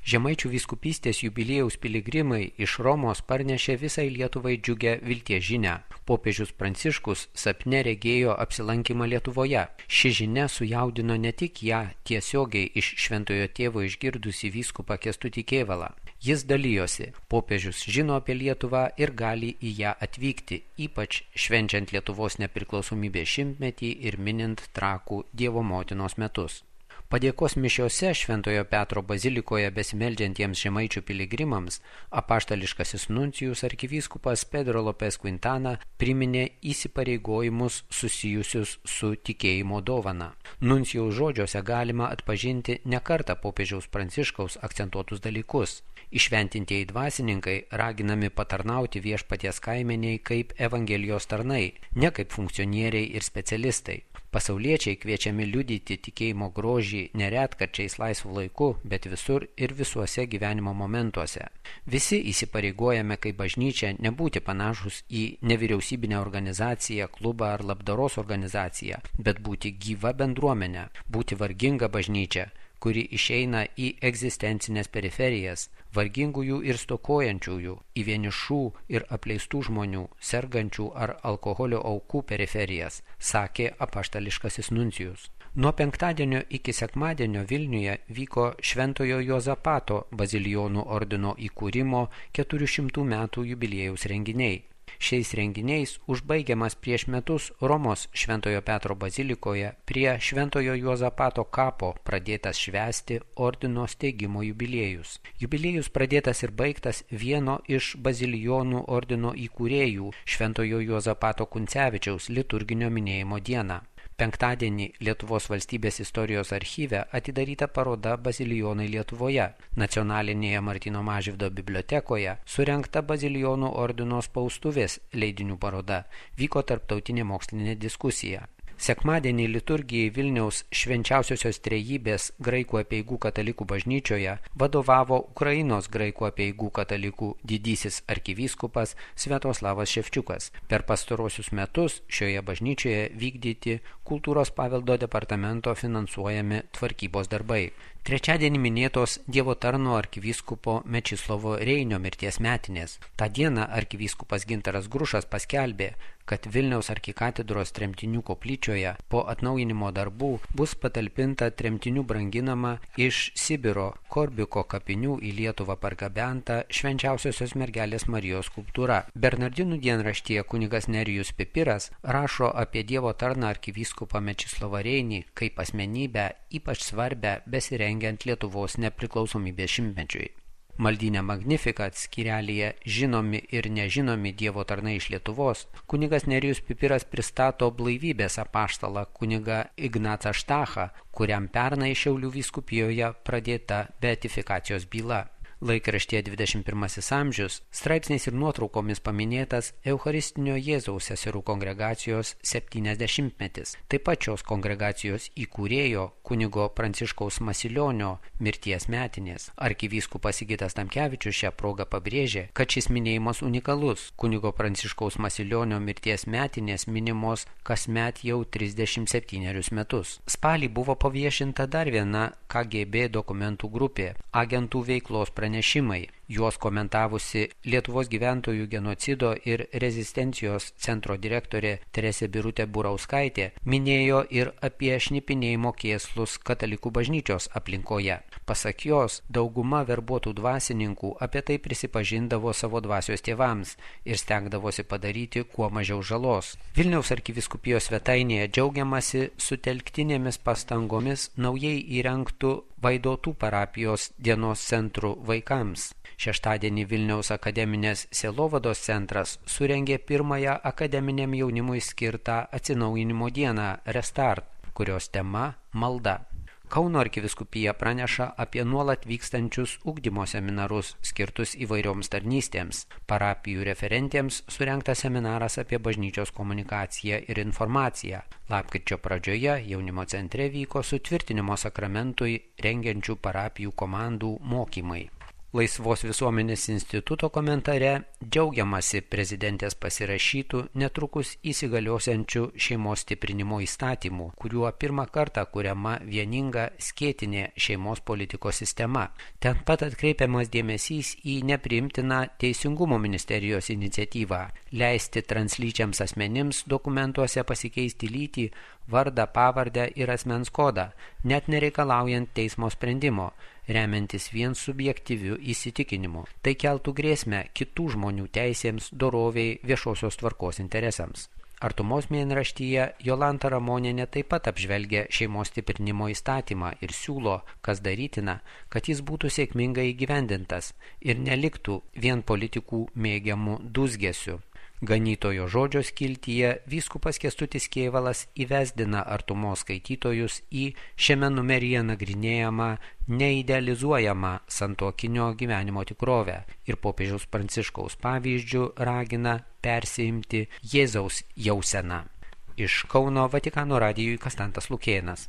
Žemaičių vyskupystės jubiliejaus piligrimai iš Romos parnešė visai Lietuvai džiugę vilties žinią. Popiežius Pranciškus sapne regėjo apsilankymą Lietuvoje. Ši žinia sujaudino ne tik ją tiesiogiai iš Šventojo Tėvo išgirdusi vyskupą Kęstutį Kėvalą. Jis dalijosi, popiežius žino apie Lietuvą ir gali į ją atvykti, ypač švenčiant Lietuvos nepriklausomybės šimtmetį ir minint Trakų Dievo motinos metus. Padėkos mišiose Šventojo Petro bazilikoje besimeldžiantiems žemaičių piligrimams apaštališkasis nuncijus arkivyskupas Pedro Lopes Quintana priminė įsipareigojimus susijusius su tikėjimo dovana. Nuncijaus žodžiuose galima atpažinti ne kartą popiežiaus Pranciškaus akcentuotus dalykus. Įšventintieji dvasininkai raginami patarnauti viešpaties kaimeniai kaip evangelijos tarnai, ne kaip funkcionieriai ir specialistai. Pasauliečiai kviečiami liudyti tikėjimo grožį neretkarčiais laisvu laiku, bet visur ir visuose gyvenimo momentuose. Visi įsipareigojame kaip bažnyčia nebūti panašus į nevyriausybinę organizaciją, klubą ar labdaros organizaciją, bet būti gyva bendruomenė, būti varginga bažnyčia, kuri išeina į egzistencinės periferijas, vargingųjų ir stokojančiųjų, į vienišų ir apleistų žmonių, sergančių ar alkoholio aukų periferijas, sakė apaštališkasis nuncijus. Nuo penktadienio iki sekmadienio Vilniuje vyko Šventojo Juozapato bazilijonų ordino įkūrimo 400 metų jubiliejaus renginiai. Šiais renginiais užbaigiamas prieš metus Romos Šventojo Petro bazilikoje prie Šventojo Juozapato kapo pradėtas švęsti ordino steigimo jubiliejus. Jubiliejus pradėtas ir baigtas vieno iš bazilijonų ordino įkūrėjų Šventojo Juozapato Kuncevičiaus liturginio minėjimo dieną. Penktadienį Lietuvos valstybės istorijos archyve atidaryta paroda Bazilijonai Lietuvoje. Nacionalinėje Martyno Mažvydo bibliotekoje surengta Bazilijonų ordino spaustuvės leidinių paroda. Vyko tarptautinė mokslinė diskusija. Sekmadienį liturgijai Vilniaus Švenčiausiosios Trejybės graikų apeigų katalikų bažnyčioje vadovavo Ukrainos graikų apeigų katalikų didysis arkivyskupas Sviatoslavas Ševčiukas. Per pastarosius metus šioje bažnyčioje vykdyti kultūros paveldo departamento finansuojami tvarkybos darbai. Trečiadienį minėtos Dievo tarno arkivyskupo Mečislovo Reinio mirties metinės. Ta diena arkivyskupas Gintaras Grušas paskelbė, kad Vilniaus arkikatedros tremtinių koplyčioje po atnaujinimo darbų bus patalpinta tremtinių branginama iš Sibiro Korbiko kapinių į Lietuvą pargabenta Švenčiausiosios mergelės Marijos skulptūra. Bernardinų dienraštyje kunigas Nerijus Pipiras rašo apie Dievo tarną arkivyskupą Mečislovą Reinį kaip asmenybę ypač svarbę besirengiant Lietuvos nepriklausomybės šimtmečiui. Maldyne Magnificat skyrelyje žinomi ir nežinomi Dievo tarnai iš Lietuvos, kunigas Nerijus Pipiras pristato blaivybės apaštalą kunigą Ignacą Štachą, kuriam pernai Šiaulių vyskupijoje pradėta beatifikacijos byla. Laikraštyje 21 amžius straipsniais ir nuotraukomis paminėtas Eucharistinio Jėzaus seserų kongregacijos 70-metis. Taip pat šios kongregacijos įkūrėjo kunigo Pranciškaus Masilionio mirties metinės. Arkivyskupas Sigitas Tamkevičius šią progą pabrėžė, kad šis minėjimas unikalus. Kunigo Pranciškaus Masilionio mirties metinės minimos kasmet jau 37 metus. Spalį buvo paviešinta dar viena KGB dokumentų grupė – agentų veiklos pranešimai. Juos komentavusi Lietuvos gyventojų genocido ir rezistencijos centro direktorė Teresė Birutė Burauskaitė minėjo ir apie šnipinėjimo kėslus katalikų bažnyčios aplinkoje. Pasak jos, dauguma verbuotų dvasininkų apie tai prisipažindavo savo dvasios tėvams ir stengdavosi padaryti kuo mažiau žalos. Vilniaus arkivyskupijos svetainėje džiaugiamasi sutelktinėmis pastangomis naujai įrengtų Vaidotų parapijos dienos centrų vaikams. Šeštadienį Vilniaus akademinės sielovados centras surengė pirmąją akademiniam jaunimui skirtą atsinaujinimo dieną Restart, kurios tema – malda. Kauno arkivyskupija praneša apie nuolat vykstančius ugdymo seminarus skirtus įvairioms tarnystėms. Parapijų referentėms surengtas seminaras apie bažnyčios komunikaciją ir informaciją. Lapkričio pradžioje jaunimo centre vyko sutvirtinimo sakramentui rengiančių parapijų komandų mokymai. Laisvos visuomenės instituto komentare džiaugiamasi prezidentės pasirašytų netrukus įsigaliosiančių šeimos stiprinimo įstatymų, kuriuo pirmą kartą kuriama vieninga skėtinė šeimos politikos sistema. Ten pat atkreipiamas dėmesys į nepriimtiną Teisingumo ministerijos iniciatyvą leisti translyčiams asmenims dokumentuose pasikeisti lytį, vardą, pavardę ir asmens kodą, net nereikalaujant teismo sprendimo, remiantis vien subjektyviu įsitikinimu. Tai keltų grėsmę kitų žmonių teisėms, doroviai, viešosios tvarkos interesams. Artumos mėnraštyje Jolanta Ramonienė taip pat apžvelgia šeimos stiprinimo įstatymą ir siūlo, kas darytina, kad jis būtų sėkmingai įgyvendintas ir neliktų vien politikų mėgiamų dūzgesių. Ganytojo žodžio skiltyje vyskupas Kęstutis Kėvalas įvesdina artumos skaitytojus į šiame numeryje nagrinėjamą neidealizuojamą santuokinio gyvenimo tikrovę ir popiežiaus Pranciškaus pavyzdžių ragina persiimti Jėzaus jauseną. Iš Kauno Vatikano radijui Konstantas Lukėnas.